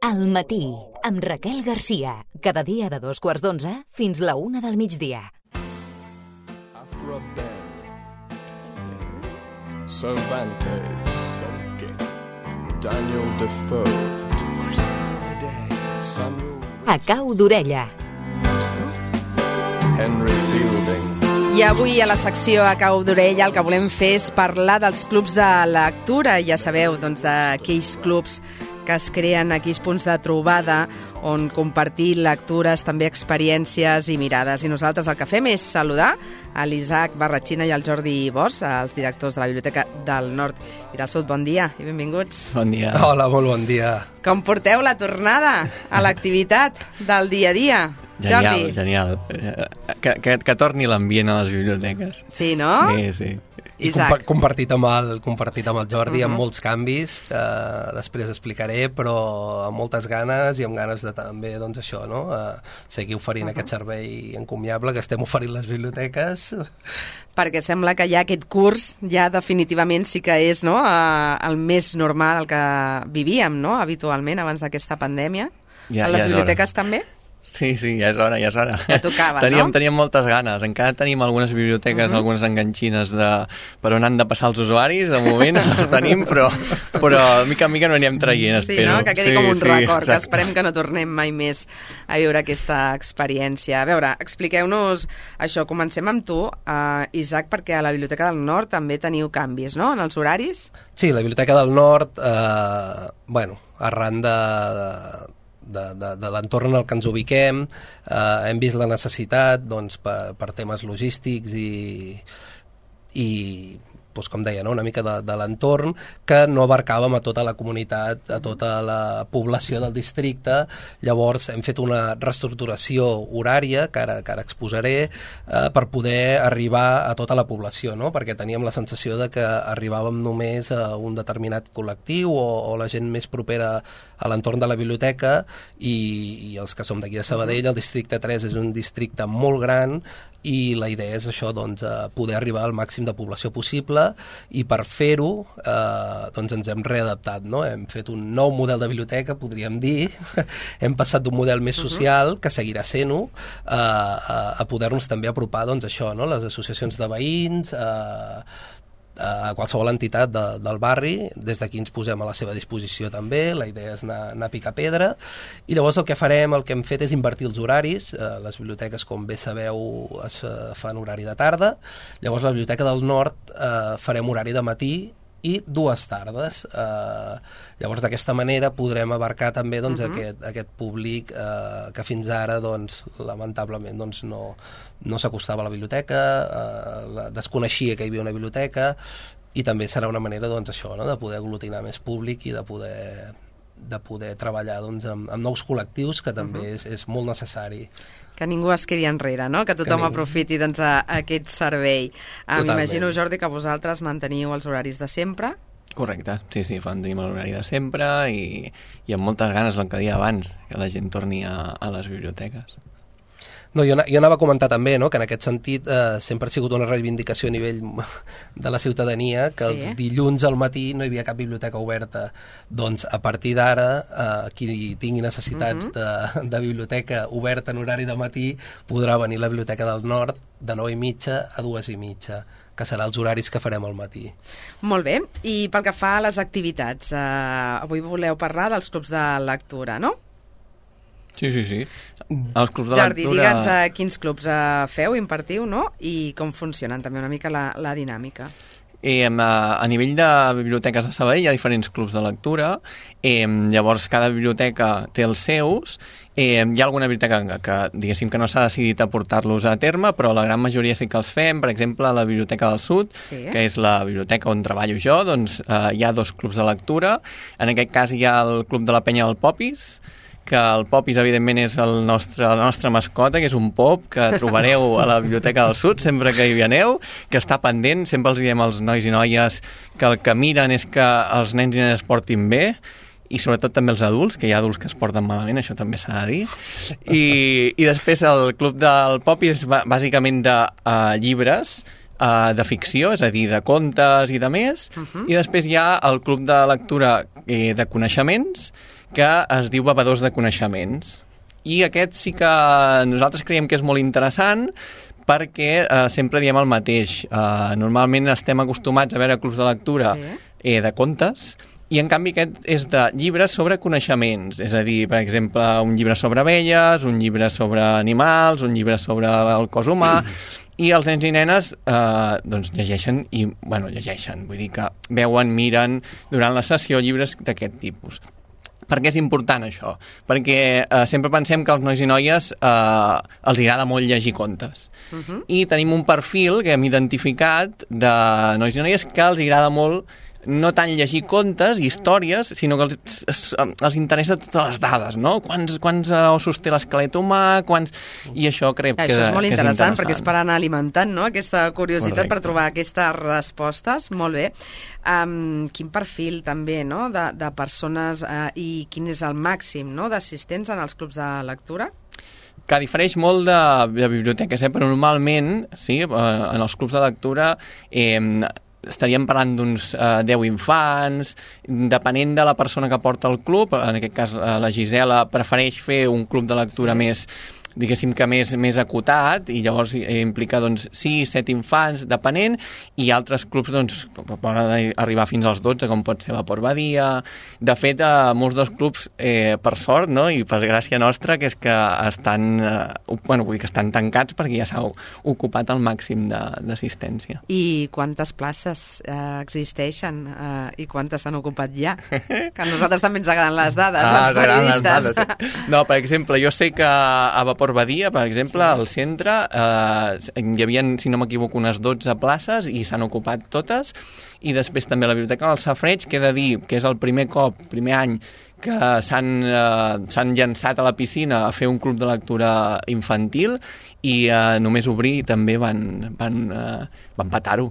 Al matí, amb Raquel Garcia. Cada dia de 2:15 fins la 1 del migdia. Cervantes, Daniel Defoe, A cau d'orella. Henry Fielding. I avui a la secció A cau d'orella el que volem fer és parlar dels clubs de lectura. Ja sabeu, doncs, d'aquells clubs que es creen, aquells punts de trobada on compartir lectures, també experiències i mirades. I nosaltres el que fem és saludar a l'Isaac Barratxina i al Jordi Bosch, els directors de la Biblioteca del Nord i del Sud. Bon dia i benvinguts. Bon dia. Hola, molt bon dia. Com porteu la tornada a l'activitat del dia a dia? Jordi? Genial. Que torni l'ambient a les biblioteques. Sí, no? Sí. I compartit amb el Jordi, amb molts canvis, que després explicaré, però amb moltes ganes i amb ganes de també, doncs això, no? Seguir oferint aquest servei encomiable que estem oferint les biblioteques. Perquè sembla que ja aquest curs ja definitivament sí que és, no?, el més normal, el que vivíem, no?, habitualment abans d'aquesta pandèmia. A les biblioteques també? Sí, ja és hora. Ja tocava, Teníem moltes ganes. Encara tenim algunes biblioteques, algunes enganxines per on han de passar els usuaris. De moment les tenim, però mica en mica no anirem traient, espero. Sí, no? Que quedi com un record, exacte. Que esperem que no tornem mai més a viure aquesta experiència. A veure, expliqueu-nos això. Comencem amb tu, Isaac, perquè a la Biblioteca del Nord també teniu canvis, no?, en els horaris? Sí, la Biblioteca del Nord, arran de l'entorn en el que ens ubiquem, hem vist la necessitat, doncs, per temes logístics i doncs, com deia, no? Una mica de l'entorn, que no abarcàvem a tota la comunitat, a tota la població del districte. Llavors hem fet una reestructuració horària, que ara exposaré, per poder arribar a tota la població, no? Perquè teníem la sensació de que arribàvem només a un determinat col·lectiu o la gent més propera a l'entorn de la biblioteca, i els que som d'aquí de Sabadell, el districte 3 és un districte molt gran, i la idea és això, doncs, poder arribar al màxim de població possible, i per fer-ho doncs ens hem readaptat, no? Hem fet un nou model de biblioteca, podríem dir. Hem passat d'un model més social, que seguirà sent-ho, a poder-nos també apropar, doncs, això, no? Les associacions de veïns, a qualsevol entitat del barri. Des d'aquí ens posem a la seva disposició també. La idea és anar a picar pedra, i llavors el que hem fet és invertir els horaris. Les biblioteques, com bé sabeu, es fan horari de tarda. Llavors la Biblioteca del Nord farem horari de matí i 2 tardes. Llavors d'aquesta manera podrem abarcar també, doncs, aquest públic que fins ara, doncs, lamentablement, doncs, no s'acostava a la biblioteca, desconeixia que hi havia una biblioteca, i també serà una manera, doncs, això, no?, de poder aglutinar més públic i de poder treballar, doncs, amb nous col·lectius, que també és molt necessari. Que ningú es quedi enrere, no?, que tothom aprofiti, doncs, aquest servei. M'imagino, Jordi, que vosaltres manteniu els horaris de sempre. Correcte, sí, tenim l'horari de sempre, i amb moltes ganes, el que deia abans, que la gent torni a les biblioteques. No, jo anava a comentar també, no?, que en aquest sentit sempre ha sigut una reivindicació a nivell de la ciutadania, que els dilluns al matí no hi havia cap biblioteca oberta. Doncs a partir d'ara, qui tingui necessitats de biblioteca oberta en horari de matí podrà venir a la Biblioteca del Nord de 9:30 a 2:30, que serà els horaris que farem al matí. Molt bé, i pel que fa a les activitats, avui voleu parlar dels clubs de lectura, no? Sí. Els clubs de Jordi, lectura... digue'ns quins clubs feu, impartiu, no?, i com funcionen també una mica la dinàmica. A nivell de biblioteques de Sabadell hi ha diferents clubs de lectura, llavors cada biblioteca té els seus. Hi ha alguna biblioteca que diguéssim que no s'ha decidit a portar-los a terme, però la gran majoria sí que els fem. Per exemple, a la Biblioteca del Sud, que és la biblioteca on treballo jo, doncs hi ha 2 clubs de lectura. En aquest cas hi ha el Club de la Penya del Popis, que el Popis, evidentment, és la nostra mascota, que és un pop que trobareu a la Biblioteca del Sud sempre que hi aneu, que està pendent. Sempre els diem als nois i noies que el que miren és que els nens i nenes es portin bé, i sobretot també els adults, que hi ha adults que es porten malament, això també s'ha de dir. I després el Club del Popis és bàsicament de llibres, de ficció, és a dir, de contes i de més, i després hi ha el Club de Lectura de Coneixements, que es diu Bevedors de Coneixements. I aquest sí que nosaltres creiem que és molt interessant perquè sempre diem el mateix. Normalment estem acostumats a veure clubs de lectura de contes, i en canvi aquest és de llibres sobre coneixements, és a dir, per exemple, un llibre sobre abelles, un llibre sobre animals, un llibre sobre el cos humà, i els nens i nenes doncs llegeixen, vull dir que veuen, miren durant la sessió llibres d'aquest tipus. Per què és important això? Perquè sempre pensem que als nois i noies els agrada molt llegir contes. I tenim un perfil que hem identificat de nois i noies que els agrada molt no tant llegir contes i històries, sinó que els interessa totes les dades, no? Quants ossos té l'esquelet humà, I això crec que és interessant. Això és molt interessant, perquè és interessant. per anar alimentant, no?, aquesta curiositat per trobar aquestes respostes. Molt bé. Quin perfil també, no?, de persones i quin és el màxim, no?, d'assistents en els clubs de lectura? Que difereix molt de biblioteques, però normalment, sí, en els clubs de lectura estaríem parlant d'uns 10 infants, depenent de la persona que porta el club. En aquest cas la Gisela prefereix fer un club de lectura més, diguéssim que més acotat, i llavors implica doncs 6, 7 infants, depenent, i altres clubs doncs poden arribar fins als 12, com pot ser Vapor Badia. De fet, molts dels clubs, per sort, no?, i per gràcia nostra, que és que estan, que estan tancats perquè ja s'ha ocupat el màxim d'assistència. I quantes places existeixen i quantes s'han ocupat ja? Que a nosaltres també ens agraden les dades, els periodistes. No, per exemple, jo sé que a Vapor Badia, per exemple, al centre hi havia, si no m'equivoco, unes 12 places i s'han ocupat totes, i després també a la Biblioteca del Safareig, que he de dir que és el primer any que s'han llançat a la piscina a fer un club de lectura infantil, i només obrir també van petar-ho.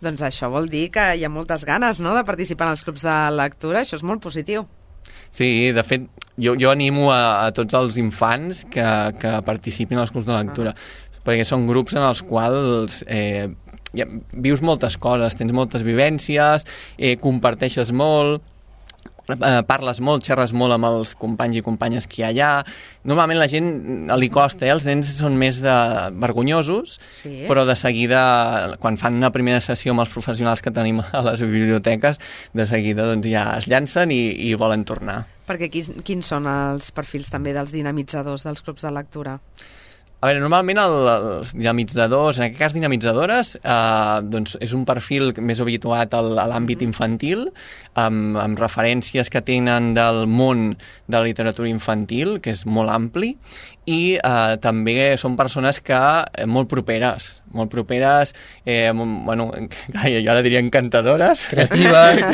Doncs això vol dir que hi ha moltes ganes, no?, de participar en els clubs de lectura. Això és molt positiu. Sí, de fet, jo animo a tots els infants que participin als clubs de lectura, perquè són grups en els quals vius moltes coses, tens moltes vivències, comparteixes molt, parles molt, xerres molt amb els companys i companyes que hi ha allà. Normalment la gent li costa, els nens són més vergonyosos, però de seguida, quan fan una primera sessió amb els professionals que tenim a les biblioteques, de seguida doncs, ja es llancen i volen tornar. Perquè quins són els perfils també dels dinamitzadors dels clubs de lectura? A veure, normalment els dinamitzadors, en aquest cas dinamitzadores, doncs és un perfil més habituat a l'àmbit infantil, amb referències que tenen del món de la literatura infantil, que és molt ampli, i també són persones que molt properes, jo ara diria encantadores. Creatives,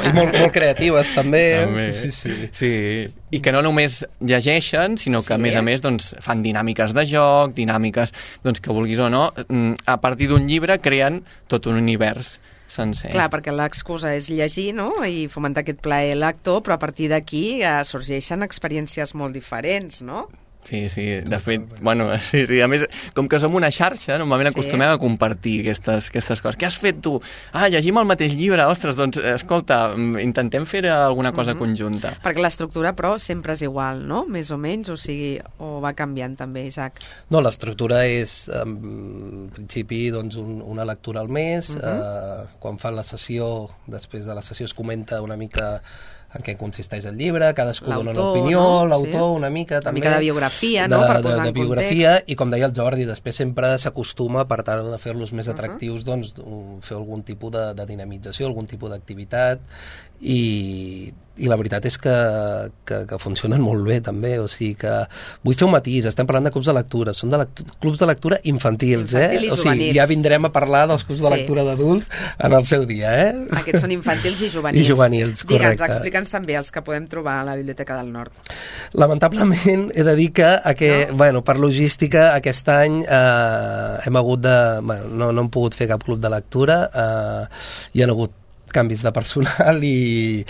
i molt creatives també. Sí. I que no només llegeixen, sinó que a més doncs, fan dinàmiques de joc, dinàmiques doncs, que vulguis o no, a partir d'un llibre creen tot un univers sencer. Clar, perquè l'excusa és llegir, no?, i fomentar aquest plaer lector, però a partir d'aquí sorgeixen experiències molt diferents, no? Sí, de fet, sí, a més, com que som una xarxa, normalment acostumem a compartir aquestes coses. Què has fet tu? Llegim el mateix llibre, ostres, doncs, escolta, intentem fer alguna cosa conjunta. Perquè l'estructura, però, sempre és igual, no?, més o menys, o va canviant també, Isaac? No, l'estructura és, en principi, doncs, una lectura al mes, quan fan la sessió, després de la sessió es comenta una mica en què consisteix el llibre, cadascú dona una opinió, l'autor una mica també. Una mica de biografia, no?, per posar en biografia, i com deia el Jordi, després sempre s'acostuma, per tal de fer-los més atractius, doncs fer algun tipus de dinamització, algun tipus d'activitat, i la veritat és que funcionen molt bé també, o sigui que vull fer un matís, estem parlant de clubs de lectura, són clubs de lectura infantils, i o sigui, ja vindrem a parlar dels clubs de lectura d'adults en el seu dia, Aquests són infantils i juvenils. I juvenils, correcte. Digue'ns, explica'ns també els que podem trobar a la Biblioteca del Nord. Lamentablement he de dir que per logística aquest any hem hagut de... no hem pogut fer cap club de lectura, hi ha hagut canvis de personal i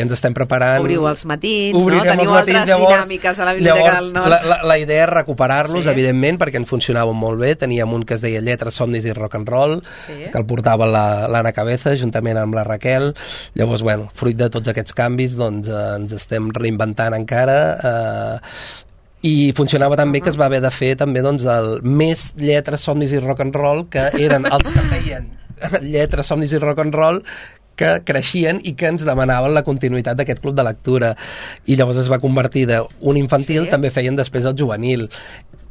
ens estem preparant... Obriu els matins, Obrirem no? Teniu els matins, altres dinàmiques a la Biblioteca del Nord. La idea és recuperar-los, evidentment, perquè ens funcionaven molt bé. Teníem un que es deia Lletres, Somnis i Rock and Roll, que el portava l'Anna Cabeza, juntament amb la Raquel. Llavors, bueno, fruit de tots aquests canvis, doncs ens estem reinventant encara, i funcionava tan bé que es va haver de fer també doncs, el més Lletres, Somnis i Rock and Roll, que eren els que feien Lletres, Somnis i Rock and Roll, que creixien i que ens demanaven la continuïtat d'aquest club de lectura, i llavors es va convertir d'un infantil, també feien després el juvenil,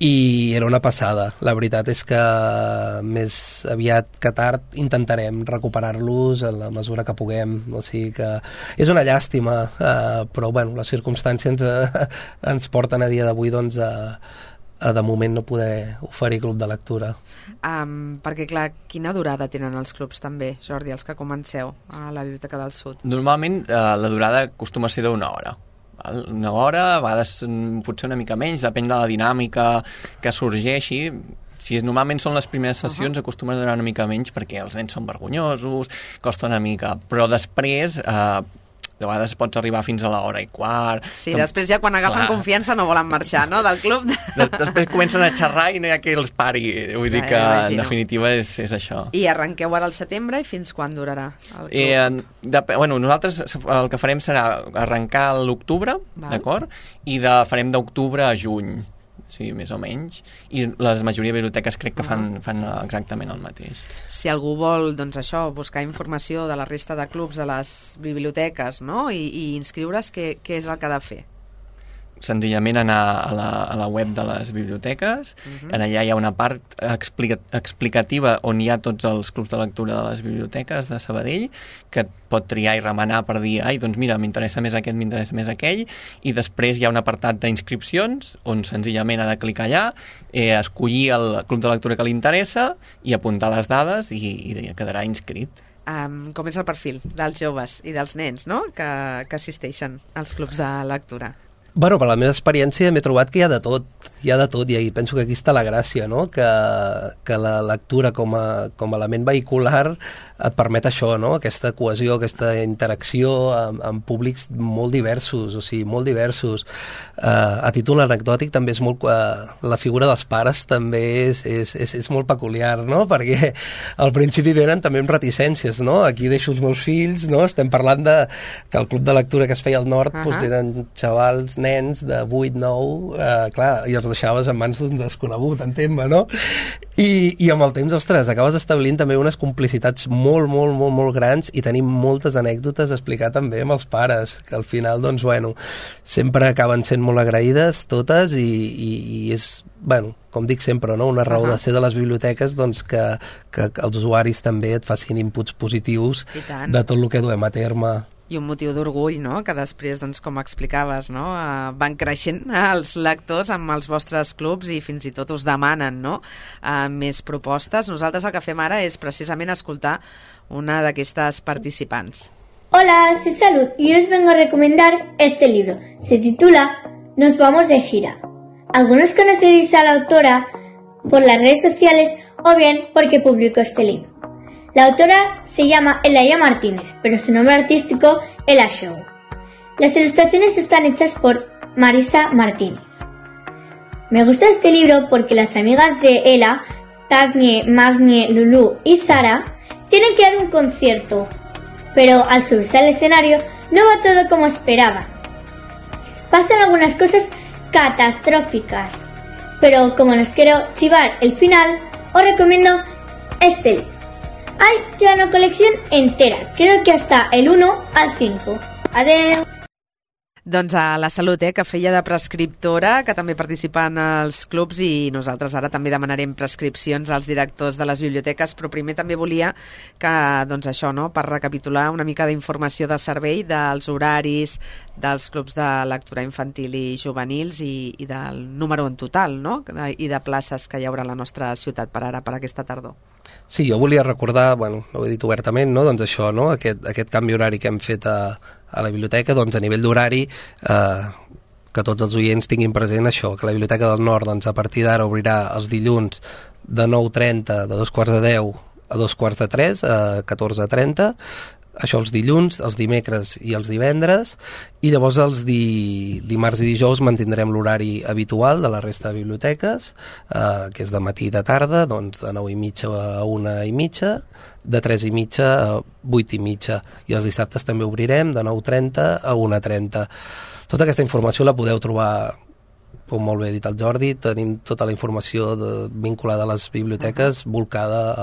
i era una passada. La veritat és que més aviat que tard intentarem recuperar-los en la mesura que puguem, o sigui que és una llàstima, però bueno, les circumstàncies ens porten a dia d'avui doncs de moment no poder oferir club de lectura. Perquè clar, quina durada tenen els clubs també, Jordi, els que comenceu a la Biblioteca del Sud? Normalment la durada acostuma a ser d'1 hora. Una hora, a vegades potser una mica menys, depèn de la dinàmica que sorgeixi. Si normalment són les primeres sessions, acostuma a durar una mica menys perquè els nens són vergonyosos, costa una mica, però després... de vegades pots arribar fins a l'1:15. Sí, després ja quan agafen confiança no volen marxar, no?, del club. Després comencen a xerrar i no hi ha qui els pari. Vull dir que, en definitiva, és això. I arrenqueu ara al setembre i fins quan durarà el club? Bueno, nosaltres el que farem serà arrencar a l'octubre, d'acord? I farem d'octubre a juny. Sí, més o menys, i la majoria de biblioteques crec que fan exactament el mateix. Si algú vol, doncs això, buscar informació de la resta de clubs de les biblioteques, no?, i inscriure's, què és el que ha de fer? Senzillament anar a la web de les biblioteques, en allà hi ha una part explicativa on hi ha tots els clubs de lectura de les biblioteques de Sabadell, que pot triar i remenar per dir, ai, doncs mira, m'interessa més aquest, m'interessa més aquell, i després hi ha un apartat d'inscripcions on senzillament ha de clicar allà, escollir el club de lectura que li interessa i apuntar les dades i quedarà inscrit. Com és el perfil dels joves i dels nens, no?, que assisteixen als clubs de lectura? Bueno, per la meva experiència m'he trobat que hi ha de tot, i penso que aquí està la gràcia, no?, que la lectura com a element vehicular et permet això, no?, aquesta cohesió, aquesta interacció amb públics molt diversos, o sigui, molt diversos. A títol anecdòtic també és molt... la figura dels pares també és molt peculiar, no?, perquè al principi venen també amb reticències, no?, aquí deixo els meus fills, no?, estem parlant que el club de lectura que es feia al nord eren xavals, nens de 8, 9, clar, i els deixaves en mans d'un desconegut, entén-me, no? I amb el temps, ostres, acabes establint també unes complicitats molt grans i tenim moltes anècdotes a explicar també amb els pares, que al final, doncs, bueno, sempre acaben sent molt agraïdes totes i és, bueno, com dic sempre, no?, una raó de ser de les biblioteques, doncs que els usuaris també et facin inputs positius de tot el que duem a terme. I un motiu d'orgull, no?, que després, doncs, com explicaves, no?, van creixent els lectors amb els vostres clubs i fins i tot us demanen, no?, més propostes. Nosaltres el que fem ara és precisament escoltar una d'aquestes participants. Hola, soy Salud y os vengo a recomendar este libro. Se titula Nos vamos de gira. Algunos conoceréis a la autora por las redes sociales o bien porque publicó este libro. La autora se llama Elaya Martínez, pero su nombre artístico Ela Show. Las ilustraciones están hechas por Marisa Martínez. Me gusta este libro porque las amigas de Ela, Tagnie, Magnie, Lulu y Sara, tienen que dar un concierto, pero al subirse al escenario no va todo como esperaban. Pasan algunas cosas catastróficas, pero como nos quiero chivar el final, os recomiendo este libro. Hay ya una colección entera, creo que hasta el 1 al 5. Adeu! Doncs a la Salut, que feia de prescriptora, que també participa en els clubs, i nosaltres ara també demanarem prescripcions als directors de les biblioteques, però primer també volia que, doncs això, no?, per recapitular una mica d'informació de servei dels horaris dels clubs de lectura infantil i juvenils i del número en total, no?, i de places que hi haurà a la nostra ciutat per ara, per aquesta tardor. Sí, jo volia recordar, bueno, no ho he dit obertament, no?, doncs això, no?, aquest canvi horari que hem fet a la biblioteca, doncs a nivell d'horari, que tots els oients tinguin present això, que la Biblioteca del Nord, doncs a partir d'ara obrirà els dilluns de 9:30, de 9:45 a 2:45, a 14:30, això els dilluns, els dimecres i els divendres, i llavors els dimarts i dijous mantindrem l'horari habitual de la resta de biblioteques, que és de matí i de tarda, doncs de 9:30 a 1:30, de 3:30 a 8:30, i els dissabtes també obrirem de 9:30 a 1:30. Tota aquesta informació la podeu trobar, com molt bé ha dit el Jordi, tenim tota la informació vinculada a les biblioteques volcada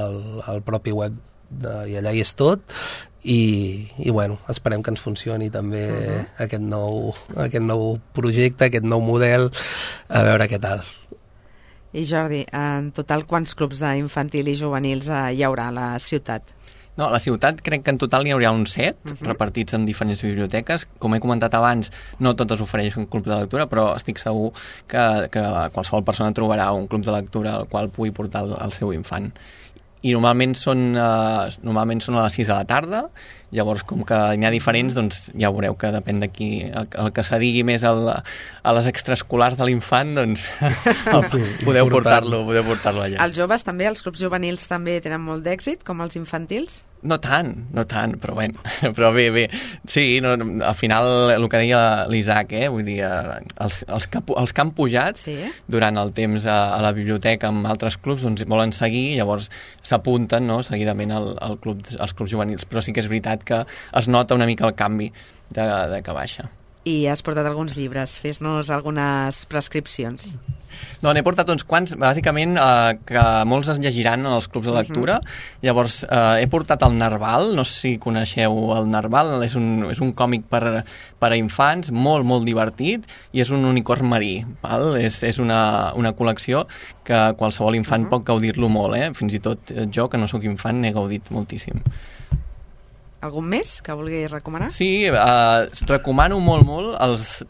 al propi web, i allà hi és tot, i bueno, esperem que ens funcioni també aquest nou projecte, aquest nou model, a veure què tal. I Jordi, en total quants clubs d'infantil i juvenils hi haurà a la ciutat? No, a la ciutat crec que en total n'hi haurà uns 7, repartits en diferents biblioteques. Com he comentat abans, no totes ofereixen un club de lectura, però estic segur que qualsevol persona trobarà un club de lectura al qual pugui portar el seu infant. I normalment són a les 6 de la tarda, llavors com que n'hi ha diferents, doncs ja veureu que depèn d'aquí el que se digui més a les extraescolars de l'infant, doncs podeu portar-lo allà. Els joves també, els clubs juvenils també tenen molt d'èxit, com els infantils? No tant, però bé. Sí, no, al final el que deia l'Isaac, vull dir, els que han pujat durant el temps a la biblioteca amb altres clubs, doncs volen seguir, llavors s'apunten, no, seguidament als clubs juvenils, però sí que és veritat que es nota una mica el canvi de que baixa. I has portat alguns llibres, fes-nos algunes prescripcions. No, n'he portat uns quants, bàsicament que molts es llegiran en els clubs de lectura. Llavors, he portat el Narval, no sé si coneixeu el Narval, és un còmic per a infants, molt, molt divertit, i és un unicorn marí, val? És una col·lecció que qualsevol infant pot gaudir-lo molt, fins i tot jo, que no sóc infant, n'he gaudit moltíssim. Algun més que vulguis recomanar? Sí, recomano molt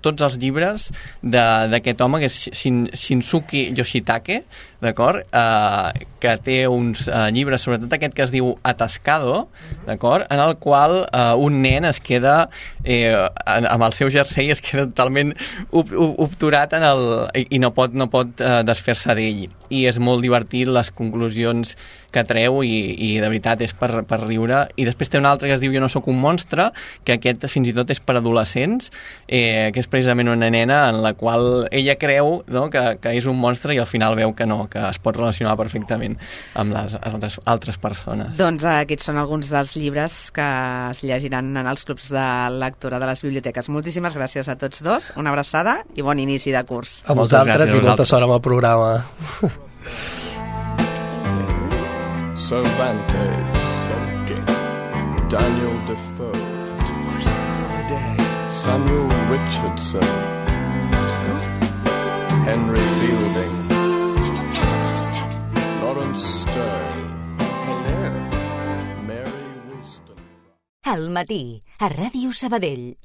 tots els llibres d'aquest home, que és Shinsuke Yoshitake, d'acord? Que té uns llibres, sobretot aquest que es diu Atascado, d'acord? En el qual un nen es queda amb el seu jersei, es queda totalment obturat i no pot desfer-se d'ell. I és molt divertit les conclusions que treu i de veritat és per riure. I després té un altre que es diu Jo no sóc un monstre, que aquest fins i tot és per adolescents, que és precisament una nena en la qual ella creu, no, que és un monstre, i al final veu que no, que es pot relacionar perfectament amb les altres persones. Doncs aquests són alguns dels llibres que es llegiran en els clubs de lectura de les biblioteques. Moltíssimes gràcies a tots dos, una abraçada i bon inici de curs. A vosaltres i molta sort amb el programa. Cervantes, Daniel Defoe, Samuel Richardson, Henry Fielding, Lawrence Stern, Mary Wollstonecraft. Al matí, a Ràdio Sabadell.